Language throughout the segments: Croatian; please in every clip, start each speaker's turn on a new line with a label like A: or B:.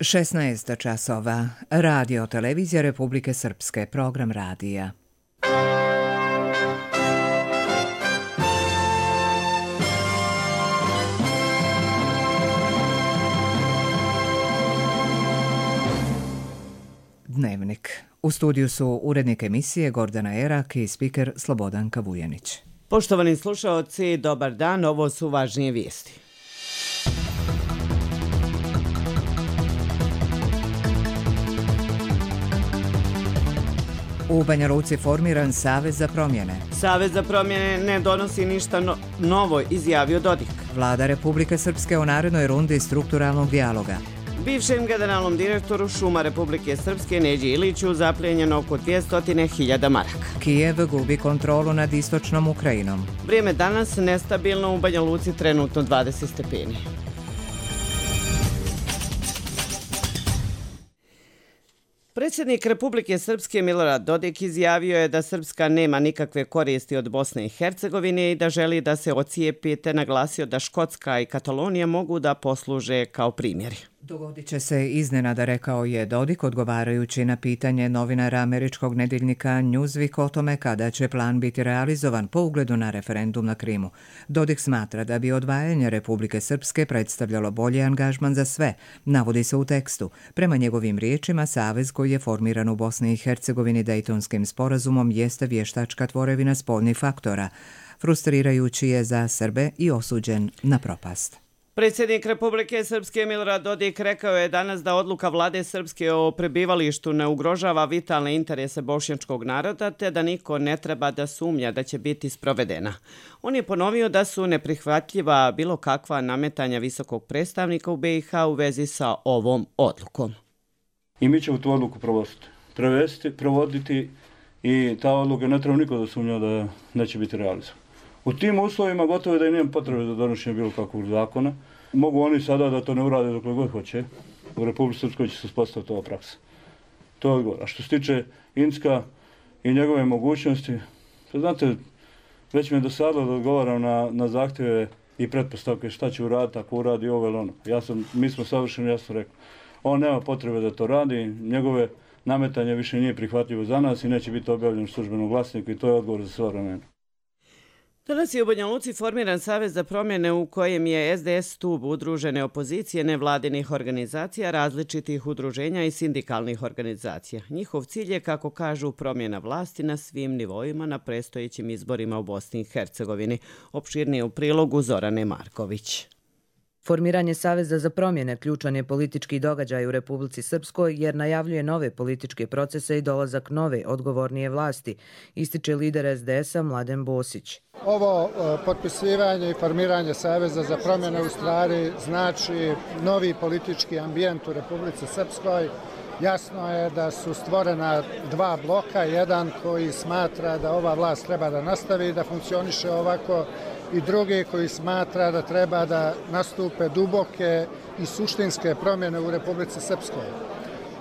A: 16 časova. Radio televizija Republike Srpske. Program radija. Dnevnik. U studiju su urednik emisije Gordana Erak i spiker Slobodanka Vujanić.
B: Poštovani slušaoci, dobar dan, ovo su važnije vijesti.
A: U Banja Luci formiran Savez za promjene.
B: Savez za promjene ne donosi ništa novo, izjavio Dodik.
A: Vlada Republike Srpske u narednoj rundi strukturalnog dijaloga.
B: Bivšem generalnom direktoru Šuma Republike Srpske Neđi Iliću zaplijenjeno oko 200.000 maraka.
A: Kijev gubi kontrolu nad istočnom Ukrajinom.
B: Vrijeme danas nestabilno, u Banja Luci trenutno 20 stepeni. Predsjednik Republike Srpske Milorad Dodik izjavio je da Srpska nema nikakve koristi od Bosne i Hercegovine i da želi da se ocijepi, te naglasio da Škotska i Katalonija mogu da posluže kao primjeri.
A: Dogodit će se iznenada, rekao je Dodik, odgovarajući na pitanje novinara američkog nedeljnika Newsweek o tome kada će plan biti realizovan po ugledu na referendum na Krimu. Dodik smatra da bi odvajanje Republike Srpske predstavljalo bolji angažman za sve, navodi se u tekstu. Prema njegovim riječima, savez koji je formiran u Bosni i Hercegovini Dejtonskim sporazumom jeste vještačka tvorevina spoljnih faktora. Frustrirajući je za Srbe i osuđen na propast.
B: Predsjednik Republike Srpske Milorad Dodik rekao je danas da odluka vlade Srpske o prebivalištu ne ugrožava vitalne interese bošnjačkog naroda, te da niko ne treba da sumnja da će biti sprovedena. On je ponovio da su neprihvatljiva bilo kakva nametanja visokog predstavnika u BiH u vezi sa ovom odlukom.
C: I mi ćemo tu odluku provoditi i ta odluka ne treba niko da sumnja da neće biti realizovana. U tim uslovima gotovo da i nema potrebe za donošenje bilo kakvog zakona. Mogu oni sada da to ne urade dokle god hoće. U Republike Srpskoj će se uspostaviti ova praksa. To je odgovor. A što se tiče Incka i njegove mogućnosti, to znate, već mi je dosadilo da odgovaram na zahtjeve i pretpostavke šta će uraditi ako uradi ovo ili ono. Mi smo savršeno jasno rekli. On nema potrebe da to radi, njegove nametanje više nije prihvatljivo za nas i neće biti objavljeno u službenom glasniku i to je odgovor za sva vremena.
B: Danas je u Banja Luci formiran Savez za promjene u kojem je SDS stub udružene opozicije nevladinih organizacija, različitih udruženja i sindikalnih organizacija. Njihov cilj je, kako kažu, promjena vlasti na svim nivoima na predstojećim izborima u Bosni i Hercegovini. Opširnije u prilogu Zorane Marković.
D: Formiranje Saveza za promjene ključan je politički događaj u Republici Srpskoj jer najavljuje nove političke procese i dolazak nove odgovornije vlasti, ističe lider SDS-a Mladen Bosić.
E: Ovo potpisivanje i formiranje Saveza za promjene u stvari znači novi politički ambijent u Republici Srpskoj. Jasno je da su stvorena dva bloka, jedan koji smatra da ova vlast treba da nastavi da funkcioniše ovako i drugi koji smatra da treba da nastupe duboke i suštinske promjene u Republici Srpskoj.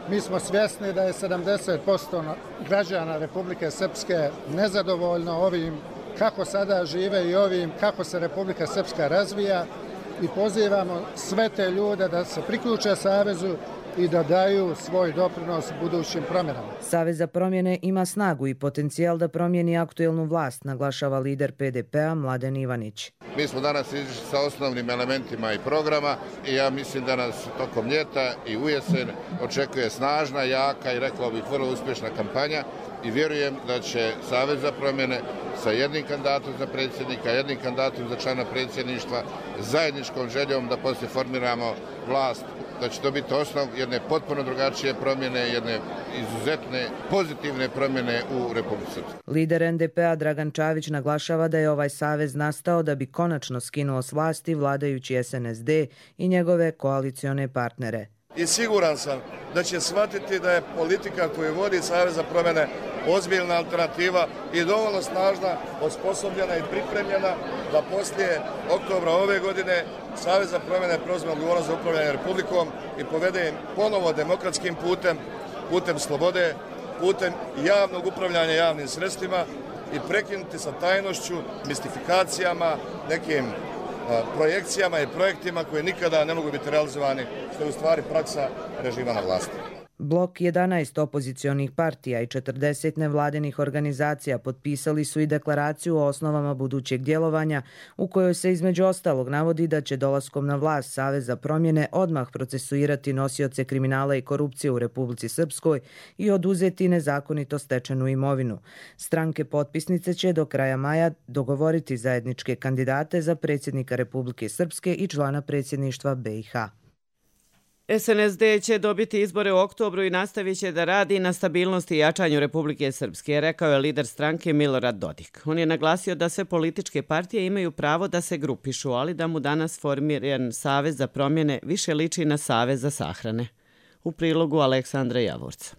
E: Mi smo svjesni da je 70% građana Republike Srpske nezadovoljno ovim kako sada žive i ovim kako se Republika Srpska razvija i pozivamo sve te ljude da se priključe Savezu i da daju svoj doprinos budućim promjenama.
D: Savez za promjene ima snagu i potencijal da promijeni aktuelnu vlast, naglašava lider PDP-a Mladen Ivanić.
F: Mi smo danas izišli sa osnovnim elementima i programa i ja mislim da nas tokom ljeta i u jesen očekuje snažna, jaka i rekao bih vrlo uspješna kampanja i vjerujem da će Savez za promjene sa jednim kandidatom za predsjednika, jednim kandidatom za člana predsjedništva, zajedničkom željom da poslije formiramo vlast, da će to biti osnov jedne potpuno drugačije promjene, jedne izuzetne pozitivne promjene u Republici Srpskoj.
D: Lider NDP-a Dragan Čavić naglašava da je ovaj savez nastao da bi konačno skinuo s vlasti vladajući SNSD i njegove koalicione partnere.
G: I siguran sam da će shvatiti da je politika koju vodi Savez za promjene ozbiljna alternativa i dovoljno snažna, osposobljena i pripremljena da poslije oktobra ove godine Savez za promjene preuzme odgovornost za upravljanje Republikom i povede im ponovo demokratskim putem slobode, putem javnog upravljanja javnim sredstvima i prekinuti sa tajnošću, mistifikacijama, nekim projekcijama i projektima koji nikada ne mogu biti realizovani, što je u stvari praksa režima na vlasti.
D: Blok 11 opozicionih partija i 40 nevladinih organizacija potpisali su i deklaraciju o osnovama budućeg djelovanja u kojoj se između ostalog navodi da će dolaskom na vlast Savez za promjene odmah procesuirati nosioce kriminala i korupcije u Republici Srpskoj i oduzeti nezakonito stečenu imovinu. Stranke potpisnice će do kraja maja dogovoriti zajedničke kandidate za predsjednika Republike Srpske i člana predsjedništva BiH.
B: SNSD će dobiti izbore u oktobru i nastavit će da radi na stabilnosti i jačanju Republike Srpske, rekao je lider stranke Milorad Dodik. On je naglasio da sve političke partije imaju pravo da se grupišu, ali da mu danas formiran Savez za promjene više liči na Savez za sahrane. U prilogu Aleksandra Javorca.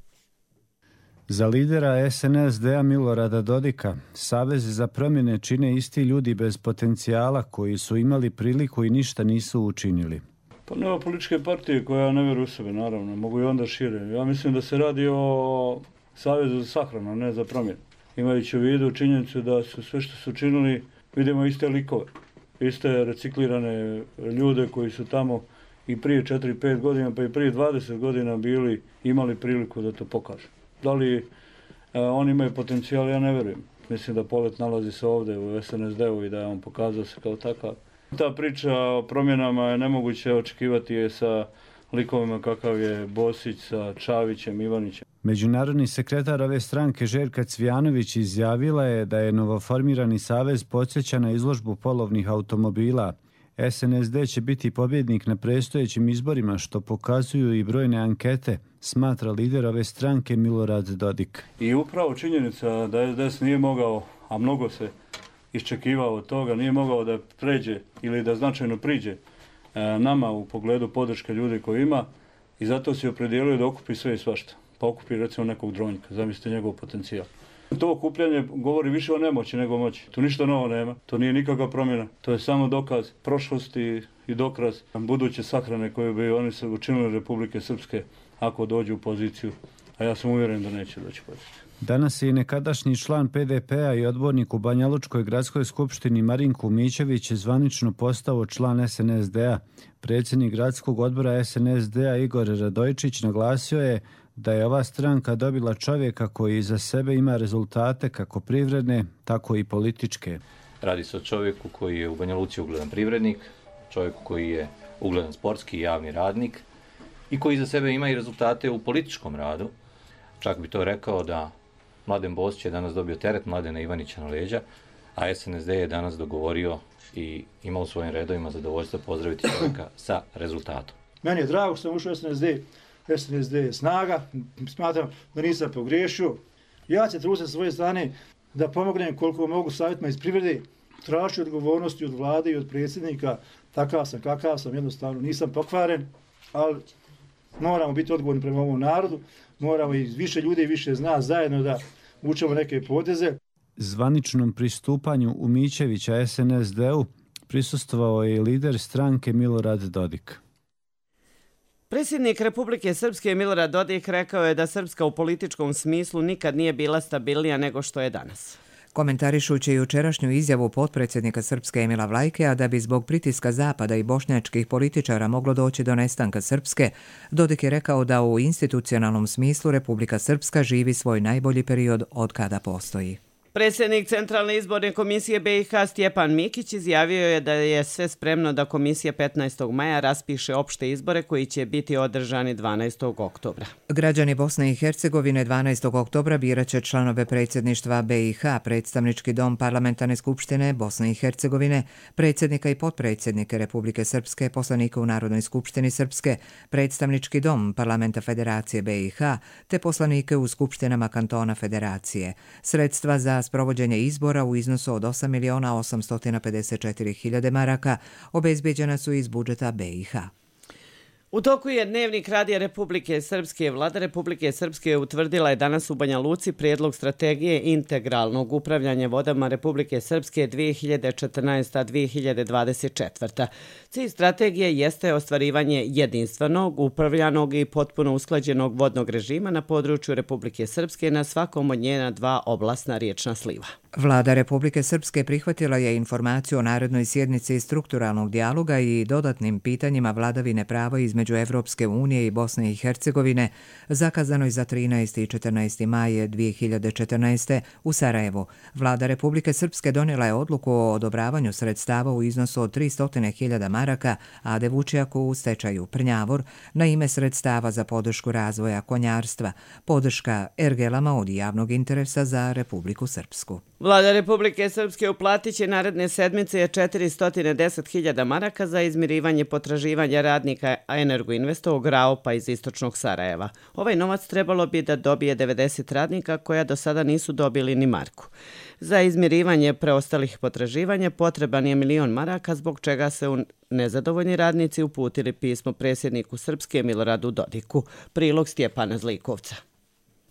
H: Za lidera SNSD-a Milorada Dodika, Savez za promjene čine isti ljudi bez potencijala koji su imali priliku i ništa nisu učinili.
C: Pa nema političke partije koja ne vjeruje u sebe, naravno, mogu i onda šire. Ja mislim da se radi o Savezu za sahranu, a ne za promjenu. Imajući u vidu činjenicu da su sve što su činili, vidimo iste likove, iste reciklirane ljude koji su tamo i prije 4-5 godina, pa i prije 20 godina imali priliku da to pokažu. Da li oni imaju potencijal, ja ne vjerujem. Mislim da Polet nalazi se ovdje u SNSD-u i da je on pokazao se kao takav. Ta priča o promjenama je nemoguće očekivati je sa likovima kakav je Bosić sa Čavićem, Ivanićem.
H: Međunarodni sekretar ove stranke Željka Cvijanović izjavila je da je novoformirani savez podsjeća na izložbu polovnih automobila. SNSD će biti pobjednik na predstojećim izborima, što pokazuju i brojne ankete, smatra lider ove stranke Milorad Dodik.
C: I upravo činjenica da SDS nije mogao, a mnogo se iščekivao od toga, nije mogao da pređe ili da značajno priđe nama u pogledu podrške ljudi koji ima i zato se opredijelio da okupi sve i svašta. Pa okupi recimo nekog Dronjka, zamislite njegov potencijal. To okupljanje govori više o nemoći nego moći. Tu ništa novo nema, to nije nikakva promjena, to je samo dokaz prošlosti i dokaz buduće sahrane koje bi oni se učinili Republike Srpske ako dođu u poziciju, a ja sam uvjeren da neće doći u poziciju.
H: Danas je i nekadašnji član PDP-a i odbornik u Banja Lučkoj gradskoj skupštini Marinko Mićević zvanično postao član SNSD-a. Predsjednik gradskog odbora SNSD-a Igor Radojčić naglasio je da je ova stranka dobila čovjeka koji iza sebe ima rezultate kako privredne, tako i političke.
I: Radi se o čovjeku koji je u Banja Luci ugledan privrednik, čovjeku koji je ugledan sportski i javni radnik i koji iza sebe ima i rezultate u političkom radu. Čak bi to rekao da Mladen Bosić je danas dobio teret Mladena Ivanića na leđa, a SNSD je danas dogovorio i ima u svojim redovima zadovoljstvo pozdraviti čovjeka sa rezultatom.
J: Meni je drago što sam ušao u SNSD. SNSD je snaga, smatram da nisam pogriješio. Ja ću truditi sa svoje strane da pomognem koliko mogu savjetima iz privrede, tražiti odgovornosti od vlade i od predsjednika, takav sam kakav sam, jednostavno nisam pokvaren, ali moramo biti odgovorni prema ovom narodu, moramo i više ljudi i više zna zajedno da učemo neke poteze.
H: Zvaničnom pristupanju Umićevića SNSD-u prisustvovao je lider stranke Milorad Dodik.
B: Predsjednik Republike Srpske Milorad Dodik rekao je da Srpska u političkom smislu nikad nije bila stabilnija nego što je danas.
A: Komentarišući jučerašnju izjavu potpredsjednika Srpske Emila Vlajkea da bi zbog pritiska Zapada i bošnjačkih političara moglo doći do nestanka Srpske, Dodik je rekao da u institucionalnom smislu Republika Srpska živi svoj najbolji period od kada postoji.
B: Predsjednik Centralne izborne komisije BiH Stjepan Mikić izjavio je da je sve spremno da komisija 15. maja raspiše opšte izbore koji će biti održani 12. oktobra.
A: Građani Bosne i Hercegovine 12. oktobra birat će članove predsjedništva BiH, predstavnički dom Parlamentarne skupštine Bosne i Hercegovine, predsjednika i potpredsjednike Republike Srpske, poslanika u Narodnoj skupštini Srpske, predstavnički dom Parlamenta Federacije BiH, te poslanike u skupštinama kantona Federacije. Sredstva za sprovođenje izbora u iznosu od 8.854.000 maraka obezbeđena su iz budžeta BiH.
B: U toku je dnevnik Radija Republike Srpske. Vlada Republike Srpske utvrdila je danas u Banja Luci prijedlog strategije integralnog upravljanja vodama Republike Srpske 2014-2024. Cilj strategije jeste ostvarivanje jedinstvenog, upravljanog i potpuno usklađenog vodnog režima na području Republike Srpske na svakom od njena 2 oblastna riječna sliva.
A: Vlada Republike Srpske prihvatila je informaciju o narednoj sjednici strukturalnog dijaloga i dodatnim pitanjima vladavine prava između Evropske unije i Bosne i Hercegovine, zakazanoj za 13. i 14. maje 2014. u Sarajevu. Vlada Republike Srpske donijela je odluku o odobravanju sredstava u iznosu od 300.000 maraka Ade Vučijaku u stečaju Prnjavor na ime sredstava za podršku razvoja konjarstva, podrška ergelama od javnog interesa za Republiku Srpsku.
B: Vlada Republike Srpske uplatit će naredne sedmice 410.000 maraka za izmirivanje potraživanja radnika Energoinvestovog Raopa iz istočnog Sarajeva. Ovaj novac trebalo bi da dobije 90 radnika koja do sada nisu dobili ni marku. Za izmirivanje preostalih potraživanja potreban je 1.000.000 maraka, zbog čega se nezadovoljni radnici uputili pismo predsjedniku Srpske Miloradu Dodiku. Prilog Stjepana Zlikovca.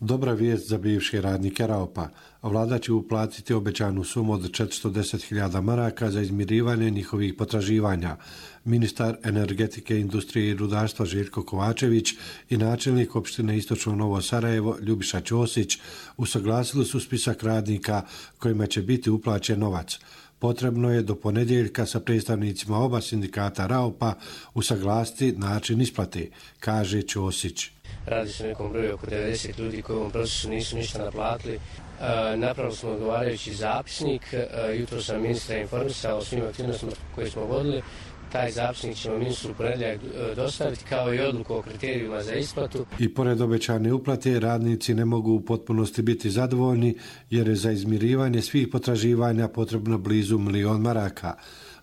K: Dobra vijest za bivše radnike Raopa. Vlada će uplatiti obećanu sumu od 410.000 maraka za izmirivanje njihovih potraživanja. Ministar energetike, industrije i rudarstva Željko Kovačević i načelnik opštine Istočno Novo Sarajevo Ljubiša Ćosić usaglasili su spisak radnika kojima će biti uplaćen novac. Potrebno je do ponedjeljka sa predstavnicima oba sindikata Raopa usaglasiti način isplate, kaže Ćosić.
L: Radi se o nekom broju oko 90 ljudi koji u ovom procesu nisu ništa naplatili. Napravili smo odgovarajući zapisnik. Jutro sam ministra informisao o svim aktivnostima koje smo vodili. Taj zapisnik ćemo ministru u ponedjeljak dostaviti, kao i odluku o kriterijima za isplatu.
K: I pored obećane uplate, radnici ne mogu u potpunosti biti zadovoljni jer je za izmirivanje svih potraživanja potrebno blizu 1.000.000 maraka.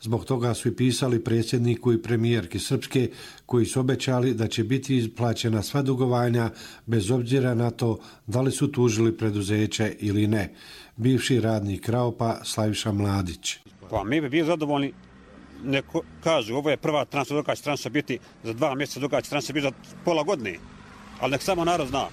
K: Zbog toga su i pisali predsjedniku i premijerki Srpske, koji su obećali da će biti isplaćena sva dugovanja bez obzira na to da li su tužili preduzeće ili ne. Bivši radnik Raopa Slaviša Mladić.
M: Pa mi bi bili zadovoljni. Neko kažu, ovo je prva transa, druga će transa biti za 2 mjeseca, druga će transa biti za pola godine. Ali nek samo narod zna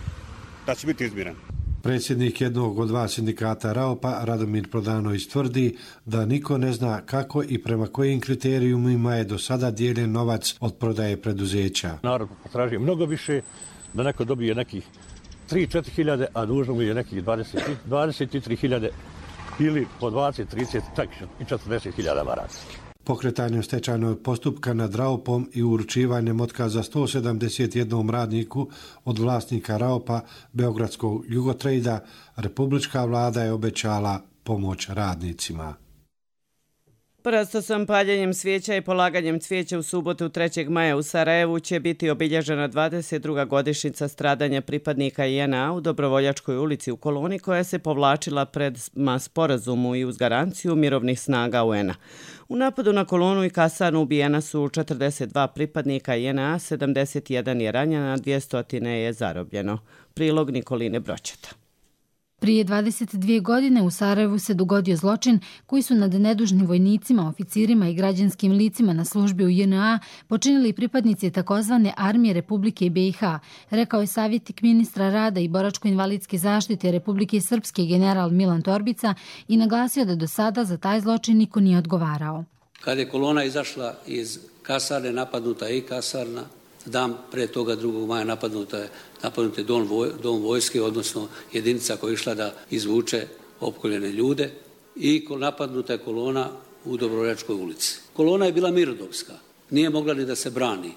M: da će biti izmiren.
K: Predsjednik jednog od 2 sindikata Raopa, Radomir Prodanović, tvrdi da niko ne zna kako i prema kojim kriterijumima je do sada dijeljen novac od prodaje preduzeća.
N: Narod potražuje mnogo više, da neko dobije nekih 3-4 hiljade, a dužno mu je nekih 23 hiljade ili po 20, 30, čak i 40 hiljada maraka.
K: Pokretanjem stečajnog postupka nad Raopom i uručivanjem otkaza 171 radniku od vlasnika Raopa Beogradskog Jugotrejda, republička vlada je obećala pomoć radnicima.
B: Prosto paljenjem svijeća i polaganjem cvijeća u subotu 3. maja u Sarajevu će biti obilježena 22. godišnjica stradanja pripadnika JNA u Dobrovoljačkoj ulici u Koloni, koja se povlačila prema sporazumu i uz garanciju mirovnih snaga UN-a. U napadu na Kolonu i kasarnu ubijena su 42 pripadnika JNA, 71 je ranjena, 200 je zarobljeno. Prilog Nikoline Broćeta.
O: Prije 22 godine u Sarajevu se dogodio zločin koji su nad nedužnim vojnicima, oficirima i građanskim licima na službi u JNA počinili pripadnici takozvane Armije Republike BiH, rekao je savjetnik ministra rada i boračko-invalidske zaštite Republike Srpske general Milan Torbica i naglasio da do sada za taj zločin niko nije odgovarao.
P: Kad je kolona izašla iz kasarne, napadnuta je i kasarna. Dan pre toga 2. maja napadnut je dom vojske, odnosno jedinica koja je išla da izvuče opkoljene ljude, i napadnuta je kolona u Dobrovoljačkoj ulici. Kolona je bila mirnodopska, nije mogla ni da se brani.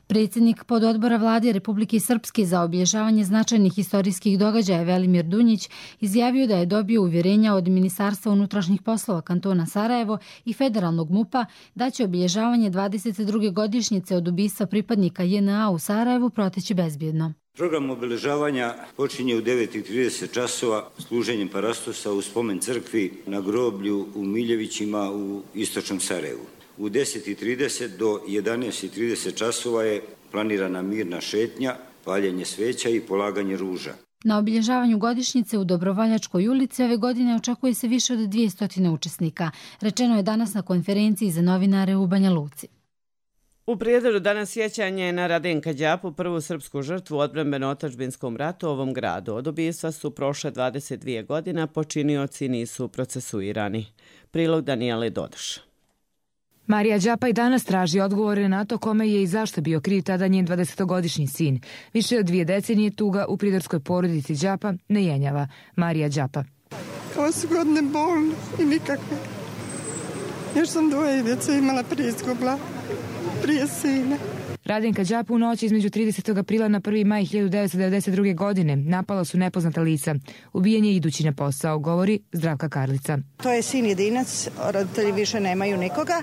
O: Predsjednik pododbora vlade Republike Srpske za obilježavanje značajnih historijskih događaja Velimir Dunjić izjavio da je dobio uvjerenja od Ministarstva unutrašnjih poslova kantona Sarajevo i federalnog MUP-a da će obilježavanje 22. godišnjice od ubistva pripadnika JNA u Sarajevu proteći bezbjedno.
Q: Program obilježavanja počinje u 9:30 časova služenjem parastosa u spomen crkvi na groblju u Miljevićima u istočnom Sarajevu. U 10:30 do 11:30 časova je planirana mirna šetnja, paljenje sveća i polaganje ruža.
O: Na obilježavanju godišnjice u Dobrovoljačkoj ulici ove godine očekuje se više od 200 učesnika, rečeno je danas na konferenciji za novinare u Banja Luci.
B: U Prijedoru danas sjećanje na Radenka Đapu, prvu srpsku žrtvu u odbrambeno-otadžbinskom ratu u ovom gradu. Od ubistva su prošle 22 godina, počinioci nisu procesuirani. Prilog Danijele Dodoš.
R: Marija Đapa i danas traži odgovore na to kome je i zašto bio kriv tada njen 20-godišnji sin. Više od 2 decenije tuga u pridorskoj porodici Đapa ne jenjava. Marija Đapa.
S: Ovo su godine bolne i nikakve. Još sam 2 djece imala prije izgubla, prije sina.
R: Radenka Đapu u noći između 30. aprila na 1. maj 1992. godine napala su nepoznata lica. Ubijen je idući na posao, govori Zdravka Karlica.
T: To je sin jedinac, roditelji više nemaju nikoga,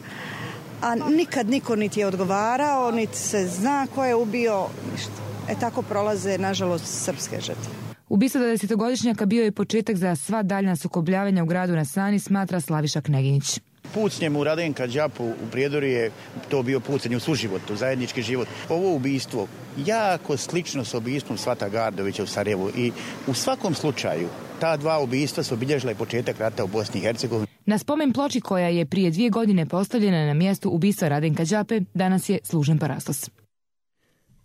T: a nikad niko niti je odgovarao, niti se zna ko je ubio, ništa. Tako prolaze, nažalost, srpske žrtve.
R: Ubistvo 20-godišnjaka bio je početak za sva daljna sukobljavanja u gradu na Sani, smatra Slaviša Kneginić.
U: Pucnjem u Radenka Đapu u Prijedoru je to bio pucanje u suživotu, zajednički život. Ovo ubistvo jako slično s ubistvom Svata Gardovića u Sarajevu i u svakom slučaju ta 2 ubistva su obilježila i početak rata u Bosni i Hercegovini.
R: Na spomen ploči koja je prije 2 godine postavljena na mjestu ubistva Radenka Đape, danas je služen parastos.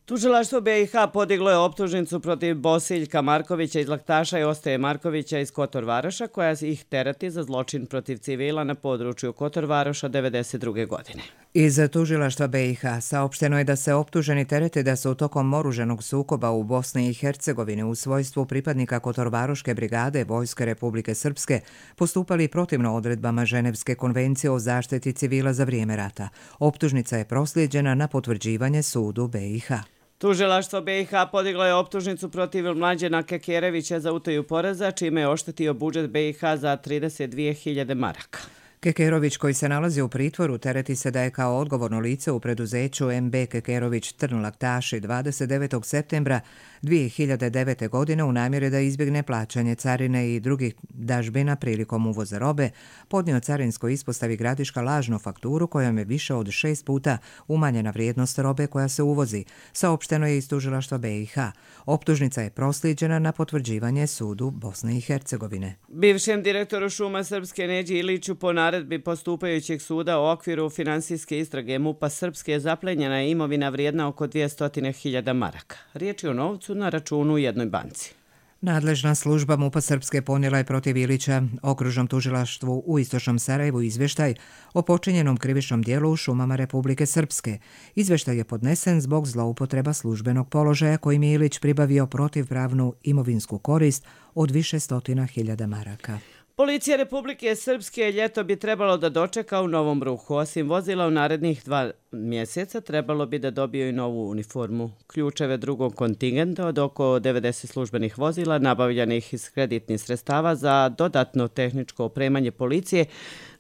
B: Tužilaštvo BiH podiglo je optužnicu protiv Bosiljka Markovića iz Laktaša i Ostaje Markovića iz Kotor Varoša, koja ih terati za zločin protiv civila na području Kotor Varoša 1992. godine.
A: Iz tužilaštva BiH saopšteno je da se optuženi terete da su tokom oružanog sukoba u Bosni i Hercegovini u svojstvu pripadnika Kotorvaroške brigade Vojske Republike Srpske postupali protivno odredbama Ženevske konvencije o zaštiti civila za vrijeme rata. Optužnica je proslijeđena na potvrđivanje sudu BiH.
B: Tužilaštvo BiH podiglo je optužnicu protiv Mlađena Kekerevića za utaju poreza, čime je oštetio budžet BiH za 32.000 maraka.
A: Kekerović, koji se nalazi u pritvoru, tereti se da je kao odgovorno lice u preduzeću MB Kekerović Trn Laktaši 29. septembra 2009. godine u namjeri da izbjegne plaćanje carine i drugih dažbina prilikom uvoza robe, podnio carinskoj ispostavi Gradiška lažnu fakturu kojom je više od 6 puta umanjena vrijednost robe koja se uvozi, saopšteno je iz tužilaštva BiH. Optužnica je proslijeđena na potvrđivanje sudu Bosne i Hercegovine.
B: Bivšem direktoru Šuma Srpske Neđi Iliću po naredbi postupajućeg suda u okviru finansijske istrage MUP-a Srpske zaplenjena je imovina vrijedna oko 200.000 maraka. Riječ je o novcu na računu u jednoj banci.
A: Nadležna služba MUP-a Srpske ponijela je protiv Ilića okružnom tužilaštvu u Istočnom Sarajevu izvještaj o počinjenom krivičnom dijelu u šumama Republike Srpske. Izvještaj je podnesen zbog zloupotreba službenog položaja kojim je Ilić pribavio protivpravnu imovinsku korist od više stotina hiljada maraka.
B: Policija Republike Srpske ljeto bi trebalo da dočeka u novom ruhu. Osim vozila u narednih 2 mjeseca trebalo bi da dobiju i novu uniformu. Ključeve drugog kontingenta od oko 90 službenih vozila nabavljanih iz kreditnih sredstava za dodatno tehničko opremanje policije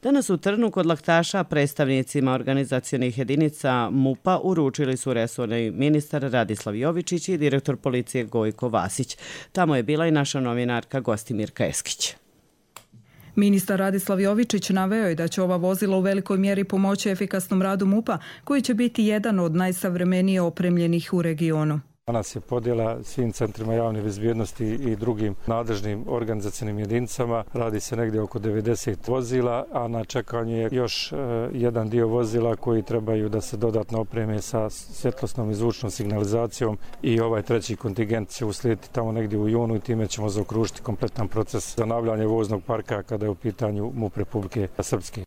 B: danas u Trnu kod Laktaša predstavnicima organizacionih jedinica MUP-a uručili su resorni ministar Radislav Jovičić i direktor policije Gojko Vasić. Tamo je bila i naša novinarka Gostimirka Eskić.
V: Ministar Radislav Jovičić naveo je da će ova vozila u velikoj mjeri pomoći efikasnom radu MUP-a, koji će biti jedan od najsavremenije opremljenih u regionu.
W: Danas je podjela svim centrima javne bezbjednosti i drugim nadležnim organizacionim jedinicama. Radi se negdje oko 90 vozila, a na čekanju je još jedan dio vozila koji trebaju da se dodatno opreme sa svjetlosnom i zvučnom signalizacijom i ovaj treći kontingent će uslijediti tamo negdje u junu i time ćemo zaokružiti kompletan proces zanavljanja voznog parka kada je u pitanju MUP Republike Srpske.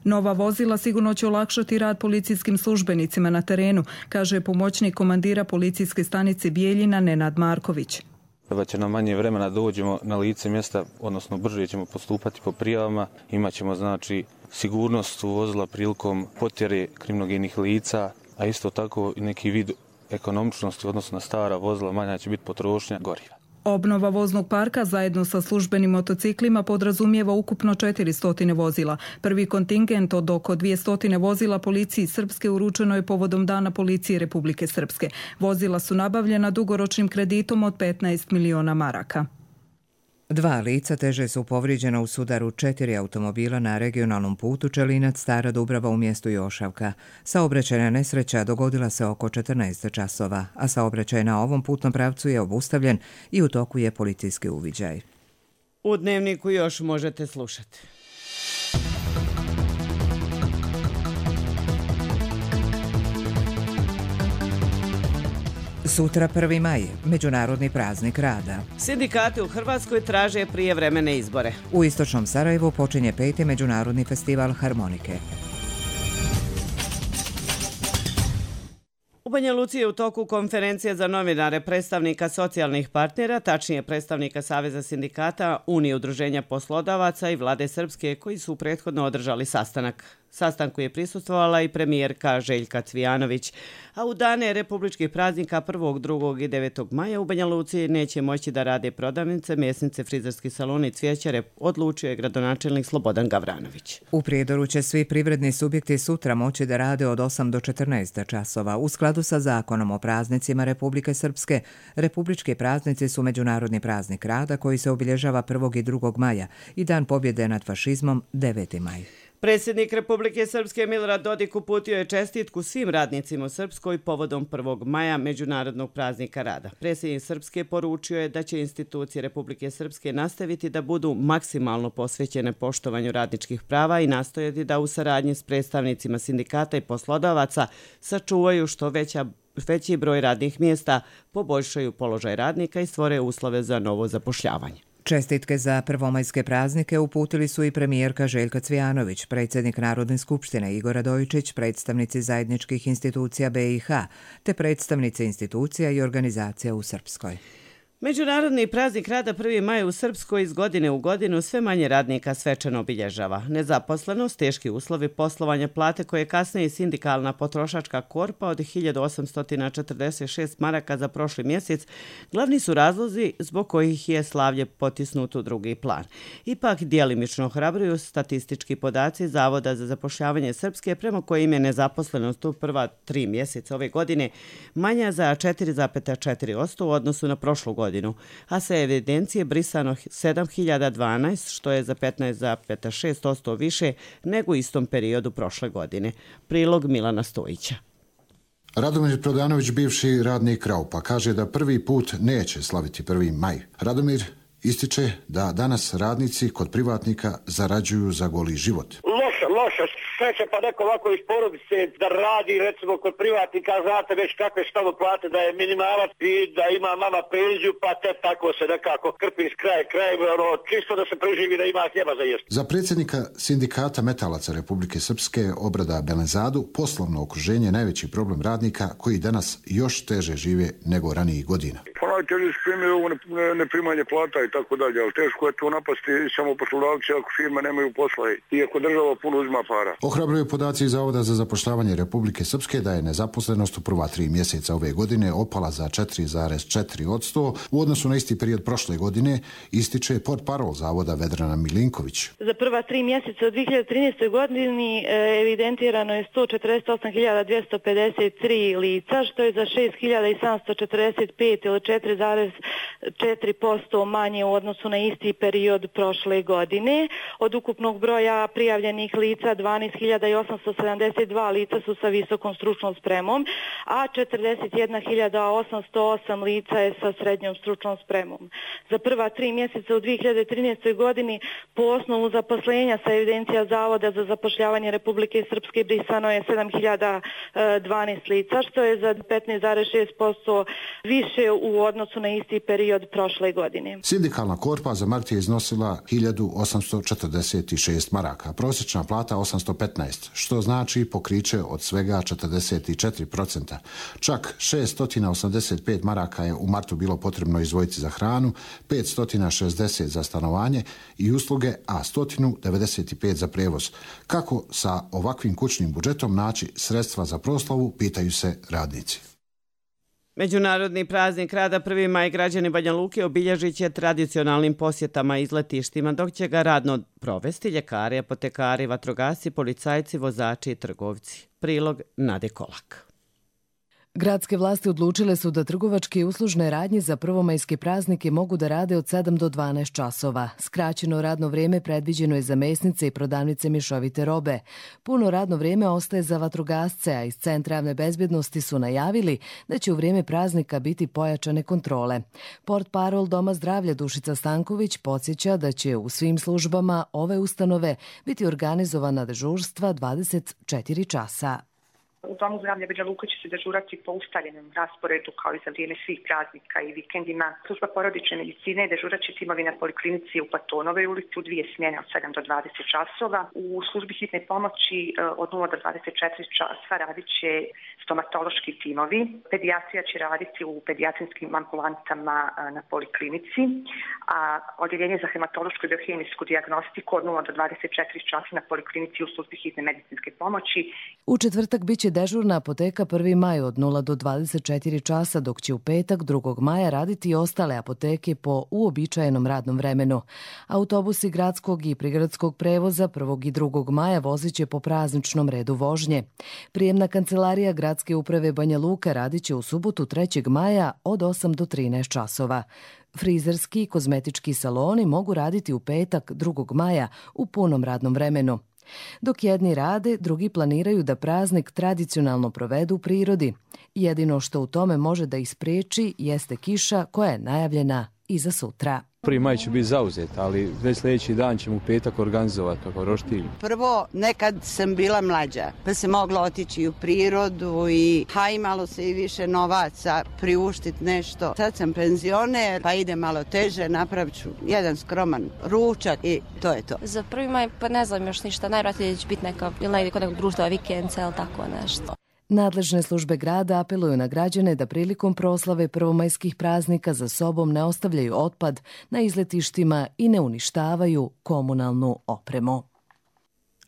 V: Nova vozila sigurno će olakšati rad policijskim službenicima na terenu, kaže pomoćnik komandira policijske stanice Bijeljina Nenad Marković.
X: Treba će nam manje vremena da dođemo na lice mjesta, odnosno brže ćemo postupati po prijavama. Imaćemo znači sigurnost u vozila prilikom potjere kriminogenih lica, a isto tako i neki vid ekonomičnosti, odnosno na stara vozila manja će biti potrošnja goriva.
V: Obnova voznog parka zajedno sa službenim motociklima podrazumijeva ukupno 400 vozila. Prvi kontingent od oko 200 vozila policiji Srpske uručeno je povodom Dana policije Republike Srpske. Vozila su nabavljena dugoročnim kreditom od 15 miliona maraka.
A: 2 lica teže su povrijeđena u sudaru 4 automobila na regionalnom putu Čelinac Stara Dubrava u mjestu Jošavka. Saobraćajna nesreća dogodila se oko 14 časova, a saobraćaj na ovom putnom pravcu je obustavljen i u toku je policijski uviđaj.
B: U Dnevniku još možete slušati.
A: Sutra 1. maj, Međunarodni praznik rada.
B: Sindikati u Hrvatskoj traže prijevremene izbore.
A: U istočnom Sarajevu počinje 5. Međunarodni festival harmonike.
B: U Banja Luci je u toku konferencije za novinare predstavnika socijalnih partnera, tačnije predstavnika Saveza sindikata, Unije udruženja poslodavaca i Vlade Srpske koji su prethodno održali sastanak. Sastanku je prisustvovala i premijerka Željka Cvijanović, a u dane republičkih praznika 1., 2. i 9. maja u Banja Luci neće moći da rade prodavnice, mesnice, frizerski saloni i cvijećare, odlučio je gradonačelnik Slobodan Gavranović.
A: U Prijedoru će svi privredni subjekti sutra moći da rade od 8 do 14 časova. U skladu sa zakonom o praznicima Republike Srpske, republički praznici su Međunarodni praznik rada koji se obilježava 1. i 2. maja i Dan pobjede nad fašizmom 9. maj.
B: Predsjednik Republike Srpske Milorad Dodik uputio je čestitku svim radnicima u Srpskoj povodom 1. maja Međunarodnog praznika rada. Predsjednik Srpske poručio je da će institucije Republike Srpske nastaviti da budu maksimalno posvećene poštovanju radničkih prava i nastojati da u saradnji s predstavnicima sindikata i poslodavaca sačuvaju što veći broj radnih mjesta, poboljšaju položaj radnika i stvore uslove za novo zapošljavanje.
A: Čestitke za prvomajske praznike uputili su i premijerka Željka Cvijanović, predsjednik Narodne skupštine Igor Radojičić, predstavnici zajedničkih institucija BiH, te predstavnici institucija i organizacija u Srpskoj.
B: Međunarodni praznik rada 1. maj u Srpskoj iz godine u godinu sve manje radnika svečano obilježava. Nezaposlenost, teški uslovi poslovanja, plate koje kasnije i sindikalna potrošačka korpa od 1846 maraka za prošli mjesec glavni su razlozi zbog kojih je slavlje potisnuto u drugi plan. Ipak djelimično ohrabruju statistički podaci Zavoda za zapošljavanje Srpske prema kojim je nezaposlenost u prva 3 mjeseca ove godine manja za 4,4% u odnosu na prošlu godinu, a sa evidencije brisano 7012, što je za 15,6% više nego u istom periodu prošle godine. Prilog Milana Stojića.
D: Radomir Prodanović, bivši radnik Raupa, kaže da prvi put neće slaviti 1. maj. Radomir ističe da danas radnici kod privatnika zarađuju za goli život.
E: Loša, sreće pa neko ovako iz porodice da radi recimo kod privatnika, znate već kakve su tamo plate, da je minimalac i da ima mama penziju, pa te tako se nekako krpi iz kraja, čisto da se preživi, da ima hljeba za jesti.
D: Za predsjednika sindikata metalaca Republike Srpske Obrada Belenzadu, poslovno okruženje je najveći problem radnika koji danas još teže žive nego ranijih godina.
F: Pa najteže su primjer ovo neprimanje plata i tako dalje, ali teško je to napasti samo poslodavci ako firme nemaju posla i ako država puno uzima para.
D: Ohrabruju podaci Zavoda za zapošljavanje Republike Srpske da je nezaposlenost u prva 3 mjeseca ove godine opala za 4,4% u odnosu na isti period prošle godine, ističe portparol Zavoda Vedrana Milinković.
G: Za prva 3 mjeseca u 2013. godini evidentirano je 148.253 lica, što je za 6.745 ili 4,4% manje u odnosu na isti period prošle godine. Od ukupnog broja prijavljenih lica 12.872 lica su sa visokom stručnom spremom, a 41.808 lica je sa srednjom stručnom spremom. Za prva 3 mjeseca u 2013. godini po osnovu zaposlenja sa evidencija Zavoda za zapošljavanje Republike Srpske brisano je 7.012 lica, što je za 15,6% više u odnosu na isti period prošle godine.
D: Sindikalna korpa za mart je iznosila 1.846 maraka, prosječna plata 815, što znači pokriće od svega 44%. Čak 685 maraka je u martu bilo potrebno izdvojiti za hranu, 560 za stanovanje i usluge, a 195 za prijevoz. Kako sa ovakvim kućnim budžetom naći sredstva za proslavu, pitaju se radnici.
B: Međunarodni praznik rada 1. maj građani Banja Luke obilježit će tradicionalnim posjetama i izletištima, dok će ga radno provesti ljekari, apotekari, vatrogasci, policajci, vozači i trgovci. Prilog Nade Kolak.
Y: Gradske vlasti odlučile su da trgovačke i uslužne radnje za prvomajske praznike mogu da rade od 7 do 12 časova. Skraćeno radno vrijeme predviđeno je za mesnice i prodavnice mješovite robe. Puno radno vrijeme ostaje za vatrogasce, a iz Centra javne bezbjednosti su najavili da će u vrijeme praznika biti pojačane kontrole. Portparol Doma zdravlja Dušica Stanković podsjeća da će u svim službama ove ustanove biti organizovana dežurstva 24 časa.
C: U Domu zdravlja Banja Luka će se dežurati po ustaljenom rasporedu kao i za vrijeme svih praznika i vikendima. Služba porodične medicine dežurat će timovi na poliklinici u Platonovoj ulici u 2 smjene od 7 do 20 časova. U službi hitne pomoći od 0 do 24 časa radit će stomatološki timovi. Pedijatrija će raditi u pedijatrijskim ambulantama na poliklinici, a odjeljenje za hematološku i biohemijsku dijagnostiku od 0 do 24 časa na poliklinici u službi hitne medicinske pomoći.
Y: U četvrtak biće dežurna apoteka 1. maj od 0 do 24 časa, dok će u petak 2. maja raditi i ostale apoteke po uobičajenom radnom vremenu. Autobusi gradskog i prigradskog prevoza 1. i 2. maja vozit će po prazničnom redu vožnje. Prijemna kancelarija Gradske uprave Banja Luka radit će u subotu 3. maja od 8 do 13 časova. Frizerski i kozmetički saloni mogu raditi u petak 2. maja u punom radnom vremenu. Dok jedni rade, drugi planiraju da praznik tradicionalno provedu u prirodi. Jedino što u tome može da ih spriječi jeste kiša koja je najavljena i za sutra.
H: 1. maj će biti zauzet, ali već sljedeći dan ćemo u petak organizovati kako roštilj.
I: Prvo, nekad sam bila mlađa, pa se mogla otići u prirodu i imalo se i više novaca priuštiti nešto. Sad sam penzioner, pa ide malo teže, napravit ću jedan skroman ručak i to je to.
J: Za 1. maj pa ne znam još ništa, najvratnije će biti neka, ili negdje kod nekog društva vikendca ili tako nešto.
Y: Nadležne službe grada apeluju na građane da prilikom proslave prvomajskih praznika za sobom ne ostavljaju otpad na izletištima i ne uništavaju komunalnu opremu.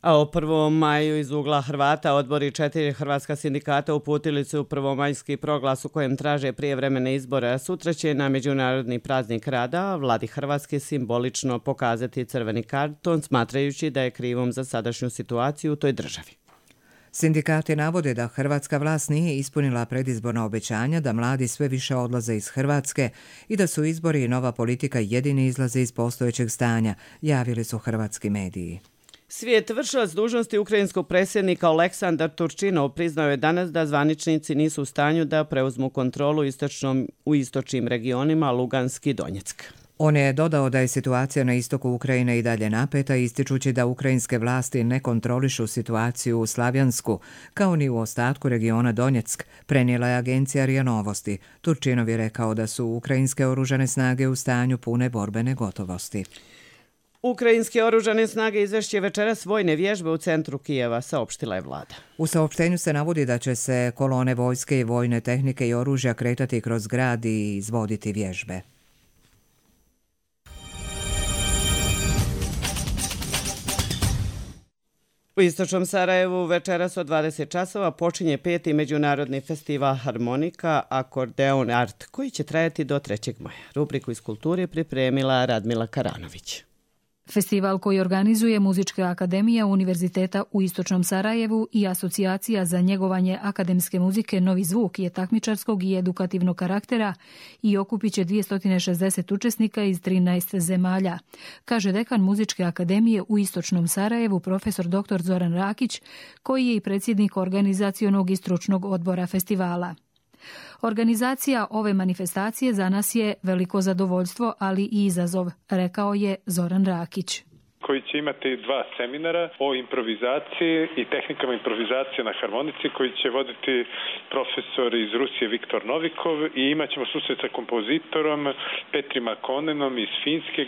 B: A o 1. maju iz ugla Hrvata odbori 4 hrvatska sindikata uputili su prvomajski proglas u kojem traže prijevremene izbore. Sutra će na Međunarodni praznik rada vladi Hrvatske simbolično pokazati crveni karton, smatrajući da je krivom za sadašnju situaciju u toj državi.
A: Sindikati navode da hrvatska vlast nije ispunila predizborna obećanja, da mladi sve više odlaze iz Hrvatske i da su izbori i nova politika jedini izlaze iz postojećeg stanja, javili su hrvatski mediji.
B: Svijet vršilac dužnosti ukrajinskog predsjednika Oleksandar Turčinov priznao je danas da zvaničnici nisu u stanju da preuzmu kontrolu u istočnim regionima Lugansk i Donjeck.
A: On je dodao da je situacija na istoku Ukrajine i dalje napeta, ističući da ukrajinske vlasti ne kontrolišu situaciju u Slavjansku, kao ni u ostatku regiona Donjeck, prenijela je agencija RIA Novosti. Turčinov je rekao da su ukrajinske oružane snage u stanju pune borbene gotovosti.
B: Ukrajinske oružane snage izvešće večeras vojne vježbe u centru Kijeva, saopštila je vlada.
A: U saopštenju se navodi da će se kolone vojske i vojne tehnike i oružja kretati kroz grad i izvoditi vježbe.
B: U istočnom Sarajevu večeras od 20 časova počinje 5. međunarodni festival harmonika Akordeon Art, koji će trajati do 3. maja. Rubriku iz kulture pripremila Radmila Karanović.
L: Festival koji organizuje Muzička akademija Univerziteta u Istočnom Sarajevu i Asocijacija za njegovanje akademske muzike Novi zvuk je takmičarskog i edukativnog karaktera i okupit će 260 učesnika iz 13 zemalja, kaže dekan Muzičke akademije u Istočnom Sarajevu profesor dr. Zoran Rakić, koji je i predsjednik organizacionog i stručnog odbora festivala. Organizacija ove manifestacije za nas je veliko zadovoljstvo, ali i izazov, rekao je Zoran Rakić.
Z: Koji će imati 2 seminara o improvizaciji i tehnikama improvizacije na harmonici koji će voditi profesor iz Rusije Viktor Novikov i imat ćemo susret sa kompozitorom Petrim Akonenom iz Finske.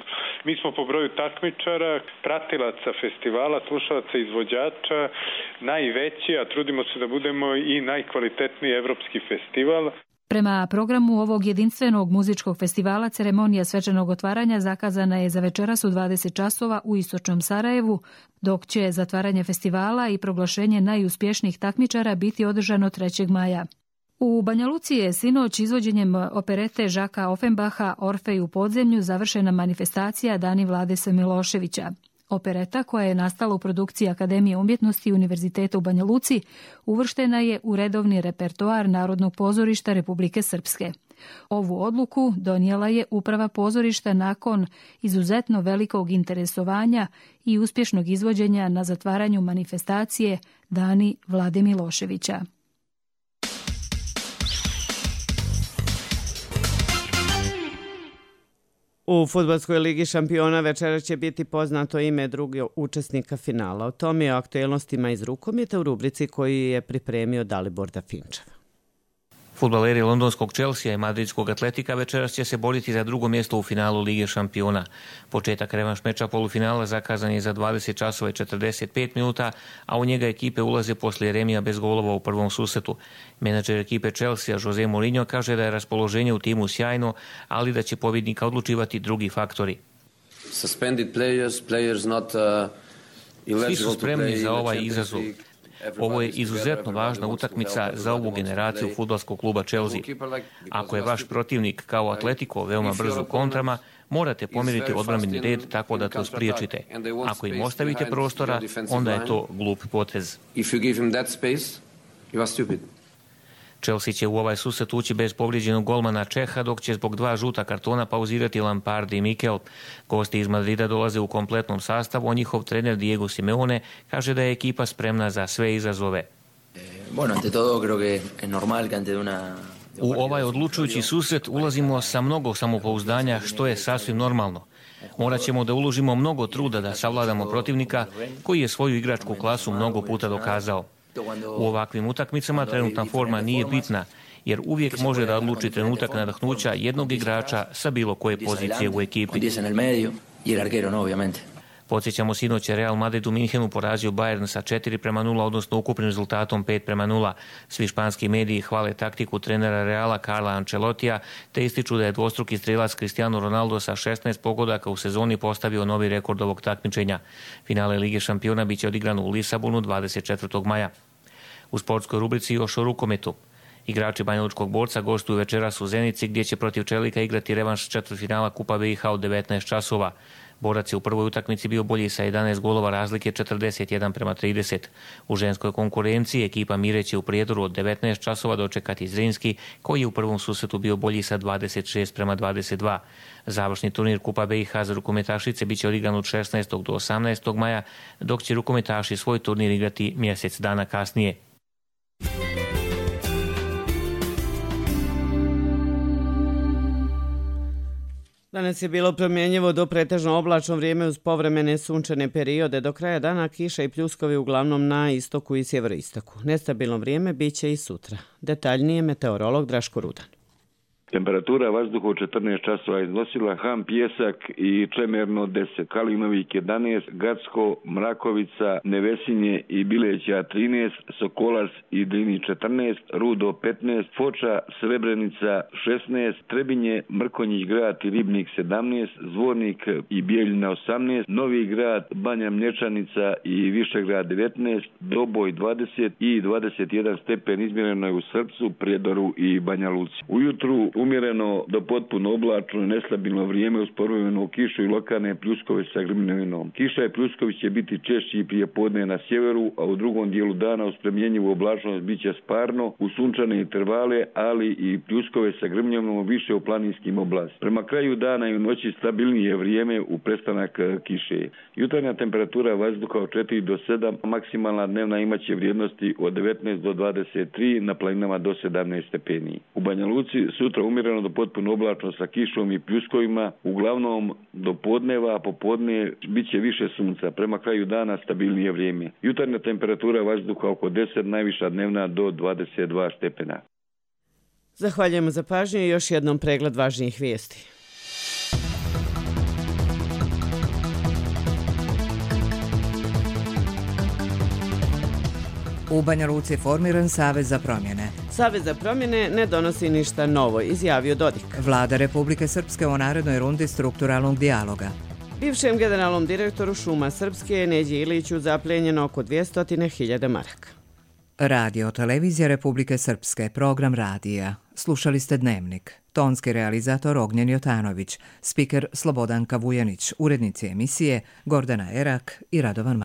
Z: Mi smo po broju takmičara, pratilaca festivala, slušalaca, izvođača najveći, a trudimo se da budemo i najkvalitetniji evropski festival.
L: Prema programu ovog jedinstvenog muzičkog festivala ceremonija svečanog otvaranja zakazana je za večeras u 20 časova u Istočnom Sarajevu, dok će zatvaranje festivala i proglašenje najuspješnijih takmičara biti održano 3. maja. U Banja Luci je sinoć izvođenjem operete Žaka Offenbacha Orfej u podzemlju završena manifestacija Dani Vlade S. Miloševića. Opereta, koja je nastala u produkciji Akademije umjetnosti Univerziteta u Banja Luci, uvrštena je u redovni repertoar Narodnog pozorišta Republike Srpske. Ovu odluku donijela je uprava pozorišta nakon izuzetno velikog interesovanja i uspješnog izvođenja na zatvaranju manifestacije Dani Vlade Miloševića.
B: U Fudbalskoj ligi šampiona večeras će biti poznato ime drugog učesnika finala. O tome i o aktuelnostima iz rukometa u rubrici koju je pripremio Dalibor Dafinčev.
K: Fudbaleri londonskog Chelsea i madridskog Atletika večeras će se boriti za drugo mjesto u finalu Lige šampiona. Početak revanš meča polufinala zakazan je za 20 časova i 45 minuta, a u njega ekipe ulaze poslije remija bez golova u prvom susretu. Menadžer ekipe Chelsea Jose Mourinho kaže da je raspoloženje u timu sjajno, ali da će pobjednika odlučivati drugi faktori. Svi su spremni za ovaj izazov. Ovo je izuzetno važna utakmica za ovu generaciju fudbalskog kluba Chelsea. Ako je vaš protivnik kao Atletico veoma brz u kontrama, morate pomiriti odbrambeni red tako da to spriječite. Ako im ostavite prostora, onda je to glup potez. Chelsea će u ovaj susret ući bez povrijeđenog golmana Čeha, dok će zbog 2 žuta kartona pauzirati Lampard i Mikel. Gosti iz Madrida dolaze u kompletnom sastavu, a njihov trener Diego Simeone kaže da je ekipa spremna za sve izazove. U ovaj odlučujući susret ulazimo sa mnogo samopouzdanja, što je sasvim normalno. Morat ćemo da uložimo mnogo truda da savladamo protivnika koji je svoju igračku klasu mnogo puta dokazao. U ovakvim utakmicama trenutna forma nije bitna, jer uvijek može da odluči trenutak nadahnuća jednog igrača sa bilo koje pozicije u ekipi. Podsjećamo, sinoć je Real Madrid u Minhenu porazio Bayern sa 4:0, odnosno ukupnim rezultatom 5:0. Svi španski mediji hvale taktiku trenera Reala Carla Ancelotija, te ističu da je dvostruki strelac Cristiano Ronaldo sa 16 pogodaka u sezoni postavio novi rekord ovog takmičenja. Finale Lige šampiona biće odigrano u Lisabonu 24. maja. U sportskoj rubrici još o rukometu. Igrači banjalučkog Borca gostuju večeras u Zenici, gdje će protiv Čelika igrati revanš četvrtfinala Kupa BiH od 19 časova. Borac je u prvoj utakmici bio bolji sa 11 golova razlike 41:30. U ženskoj konkurenciji ekipa Mire će u Prijedoru od 19 časova dočekati Zrinski, koji je u prvom susretu bio bolji sa 26:22. Završni turnir Kupa BiH za rukometašice biće odigran od 16. do 18. maja, dok će rukometaši svoj turnir igrati mjesec dana kasnije.
B: Danas je bilo promjenjivo do pretežno oblačno vrijeme uz povremene sunčane periode. Do kraja dana kiša i pljuskovi uglavnom na istoku i sjeveroistoku. Nestabilno vrijeme bit će i sutra. Detaljnije meteorolog Draško Rudan.
F: Temperatura vazduha u 14 časova iznosila Ham Pjesak i Čemerno 10, Kalinovik 11, Gacko, Mrakovica, Nevesinje i Bileća 13, Sokolac i Drini 14, Rudo 15, Foča, Srebrenica 16, Trebinje, Mrkonjić grad i Ribnik 17, Zvornik i Bijeljina 18, Novi grad, Banja Mlječanica i Višegrad 19, Doboj 20 i 21 stepen izmjereno je u Srpcu, Prijedoru i Banja Luci. Ujutru umjereno do potpuno oblačno i nestabilno vrijeme uz povremenu kišu i lokalne pljuskove sa grmljavinom. Kiša i pljuskovi će biti češći i prije podne na sjeveru, a u drugom dijelu dana uz promjenjivu oblačnost bit će sparno, u sunčane intervale, ali i pljuskove sa grmljavinom više u planinskim oblastima. Prema kraju dana i u noći stabilnije vrijeme u prestanak kiše. Jutarnja temperatura vazduha od 4 do 7, maksimalna dnevna imaće vrijednosti od 19 do 23, na planinama do 17 stepeni. U Banja Luci sutra umjereno do potpuno oblačno sa kišom i pljuskovima, uglavnom do podneva, a popodne bit će više sunca. Prema kraju dana stabilnije vrijeme. Jutarnja temperatura vazduha oko 10, najviša dnevna do 22 stepena.
B: Zahvaljujemo za pažnju i još jednom pregled važnijih vijesti.
A: U Banja Luci je formiran Savez za promjene.
B: Savez za promjene ne donosi ništa novo, izjavio Dodik.
A: Vlada Republike Srpske u narednoj rundi strukturalnog dijaloga.
B: Bivšem generalnom direktoru Šuma Srpske Neđi Iliću zapljenjeno oko 200.000 maraka.
A: Radio televizija Republike Srpske, program radija. Slušali ste Dnevnik. Tonski realizator Ognjen Jotanović, spiker Slobodanka Vujanić, urednici emisije Gordana Erak i Radovan